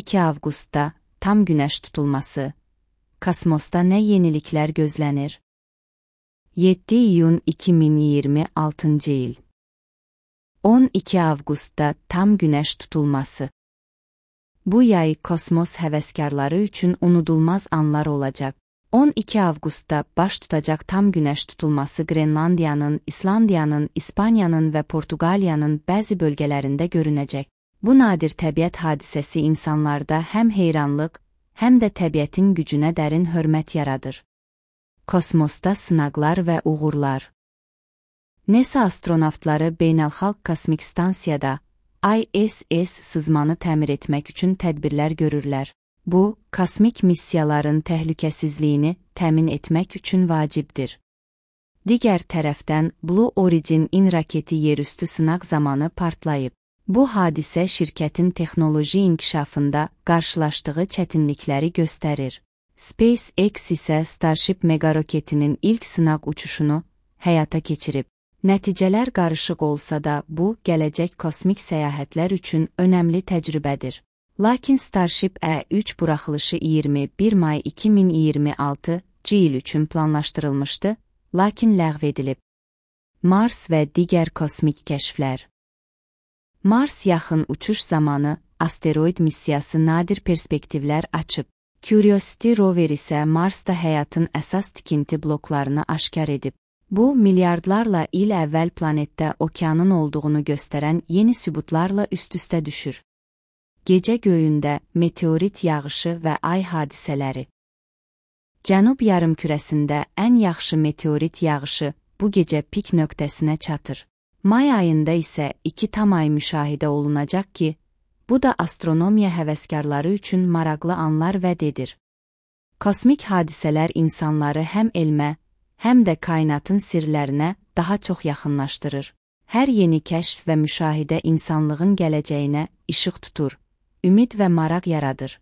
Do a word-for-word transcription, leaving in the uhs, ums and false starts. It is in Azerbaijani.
iki avqustda tam günəş tutulması. Kosmosda nə yeniliklər gözlənir? yeddi iyun iki min iyirmi altıncı il. on iki avqustda tam günəş tutulması. Bu yay kosmos həvəskarları üçün unudulmaz anlar olacaq. on iki avqustda baş tutacaq tam günəş tutulması Qrenlandiyanın, İslandiyanın, İspaniyanın və Portuqaliyanın bəzi bölgələrində görünəcək. Bu nadir təbiət hadisəsi insanlarda həm heyranlıq, həm də təbiətin gücünə dərin hörmət yaradır. Kosmosda sınaqlar və uğurlar. NASA astronavtları Beynəlxalq Kosmik Stansiyada I S S sızmanı təmir etmək üçün tədbirlər görürlər. Bu, kosmik missiyaların təhlükəsizliyini təmin etmək üçün vacibdir. Digər tərəfdən Blue Origin raketi yerüstü sınaq zamanı partlayıb. Bu hadisə şirkətin texnoloji inkişafında qarşılaşdığı çətinlikləri göstərir. SpaceX isə Starship megaroketinin ilk sınaq uçuşunu həyata keçirib. Nəticələr qarışıq olsa da, bu, gələcək kosmik səyahətlər üçün önəmli təcrübədir. Lakin Starship E üç buraxılışı iyirmi bir may iki min iyirmi altıncı il üçün planlaşdırılmışdı, lakin ləğv edilib. Mars və digər kosmik kəşflər. Mars yaxın uçuş zamanı asteroid missiyası nadir perspektivlər açıb. Curiosity rover isə Marsda həyatın əsas tikinti bloklarını aşkar edib. Bu, milyardlarla il əvvəl planetdə okeanın olduğunu göstərən yeni sübutlarla üst-üstə düşür. Gecə göyündə meteorit yağışı və ay hadisələri. Cənub yarımkürəsində ən yaxşı meteorit yağışı bu gecə pik nöqtəsinə çatır. May ayında isə iki tam ay müşahidə olunacaq ki, bu da astronomiya həvəskarları üçün maraqlı anlar vəd edir. Kosmik hadisələr insanları həm elmə, həm də kainatın sirlərinə daha çox yaxınlaşdırır. Hər yeni kəşf və müşahidə insanlığın gələcəyinə işıq tutur, ümid və maraq yaradır.